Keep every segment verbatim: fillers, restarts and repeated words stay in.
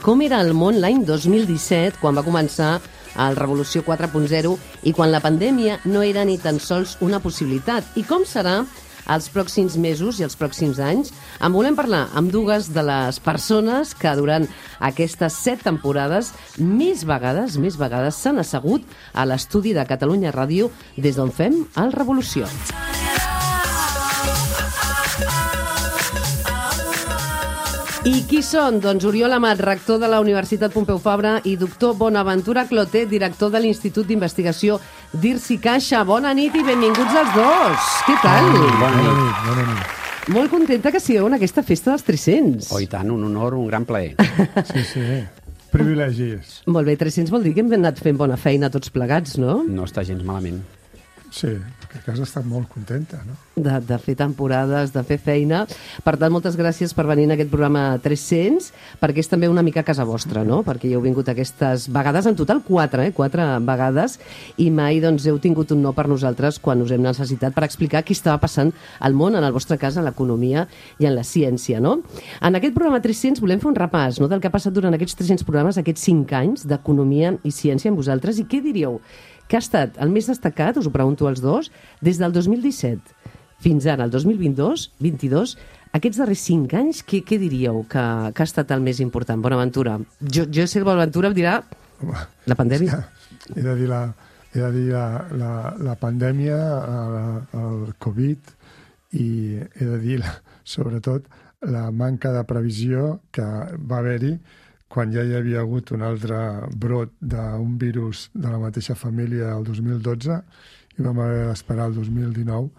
Com era el món l'any dos mil disset, quan va començar el Revolució quatre punt zero i quan la pandèmia no era ni tan sols una possibilitat? I com serà els pròxims mesos i els pròxims anys? En volem parlar amb dues de les persones que durant aquestes set temporades més vegades, més vegades s'han assegut a l'estudi de Catalunya Ràdio des d'on fem el Revolució. I qui són? Doncs Oriol Amat, rector de la Universitat Pompeu Fabra, i doctor Bonaventura Clotet, director de l'Institut d'Investigació d'I R S I Caixa. Bona nit i benvinguts els dos. Què tal? Bona nit, bona nit. Molt contenta que sigueu en aquesta festa dels tres-cents. Oh, i tant, un honor, un gran plaer. Sí, sí, privilegis. Molt bé, tres-cents vol dir que hem anat fent bona feina tots plegats, no? No està gens malament. Sí, perquè casa està molt contenta, no? De, de fer temporades, de fer feina. Per tant, moltes gràcies per venir en aquest programa tres-cents, perquè és també una mica casa vostra, no? Perquè hi heu vingut aquestes vegades, en total quatre, eh? Quatre vegades, i mai doncs, heu tingut un no per nosaltres quan us hem necessitat per explicar què estava passant al món, en el vostre cas, en l'economia i en la ciència, no? En aquest programa tres-cents volem fer un repàs, no?, del que ha passat durant aquests tres-cents programes, aquests cinc anys d'economia i ciència amb vosaltres. I què diríeu que ha estat el més destacat, us ho pregunto als dos, des del dos mil disset fins ara, el dos mil vint-dos, vint-i-dos, aquests darrers cinc anys, què, què diríeu que, que ha estat el més important? Bonaventura. Jo, jo sé el Bonaventura em dirà Home, la pandèmia. He de dir la, he de dir la, la, la pandèmia, el, el Covid, i he de dir, la, sobretot, la manca de previsió que va haver-hi quan ja hi havia hagut un altre brot d'un virus de la mateixa família el dos mil dotze i vam haver d'esperar el dos mil dinou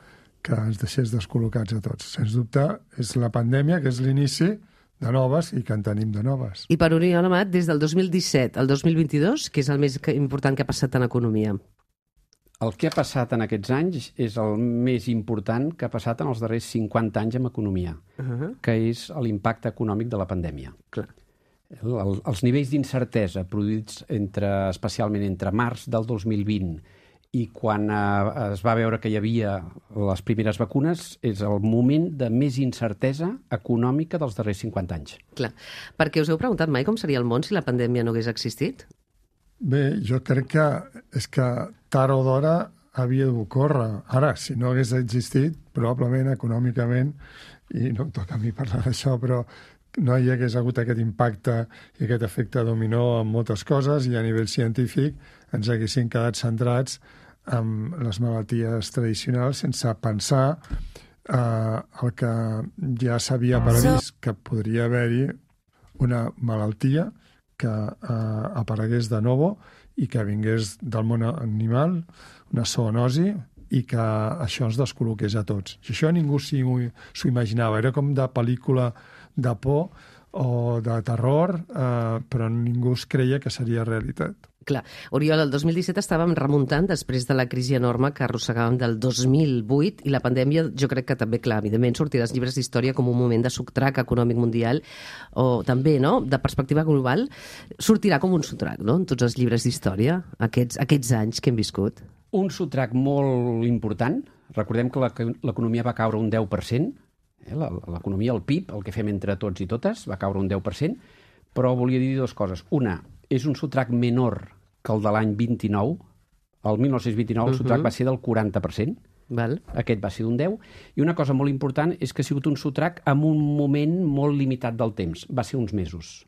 que ens deixés descol·locats a tots. Sens dubte, és la pandèmia, que és l'inici de noves i que en tenim de noves. I per Oriol Amat, des del dos mil disset al dos mil vint-i-dos, què és el més important que ha passat en economia? El que ha passat en aquests anys és el més important que ha passat en els darrers cinquanta anys en economia, uh -huh. que és l'impacte econòmic de la pandèmia. Clar. El, el, els nivells d'incertesa produïts entre, especialment entre març del dos mil vint i quan eh, es va veure que hi havia les primeres vacunes és el moment de més incertesa econòmica dels darrers cinquanta anys. Clar, perquè us heu preguntat mai com seria el món si la pandèmia no hagués existit? Bé, jo crec que és que tard o d'hora havia d'ocórrer. Ara, si no hagués existit, probablement econòmicament, i no em toca a mi parlar d'això, però no hi hagués hagut aquest impacte i aquest efecte dominó en moltes coses i a nivell científic ens haguessin quedat centrats en les malalties tradicionals sense pensar eh, el que ja s'havia previst, que podria haver-hi una malaltia que eh, aparegués de nou i que vingués del món animal, una zoonosi, i que això ens descol·loqués a tots. I això ningú s'ho imaginava. Era com de pel·lícula de por o de terror, eh, però ningú es creia que seria realitat. Clar. Oriol, el dos mil disset estàvem remuntant després de la crisi enorme que arrossegàvem del dos mil vuit i la pandèmia, jo crec que també, clar, evidentment sortirà als llibres d'història com un moment de sotrac econòmic mundial o també, no?, de perspectiva global, sortirà com un sotrac, no?, en tots els llibres d'història, aquests, aquests anys que hem viscut. Un sotrac molt important. Recordem que l'economia va caure un deu per cent. Eh? L'economia, el P I B, el que fem entre tots i totes, va caure un deu per cent. Però volia dir dues coses. Una, és un sotrac menor que el de l'any vint-i-nou. El mil nou-cents vint-i-nou el sotrac uh -huh. va ser del quaranta per cent. Val. Aquest va ser d'un deu. I una cosa molt important és que ha sigut un sotrac amb un moment molt limitat del temps. Va ser uns mesos.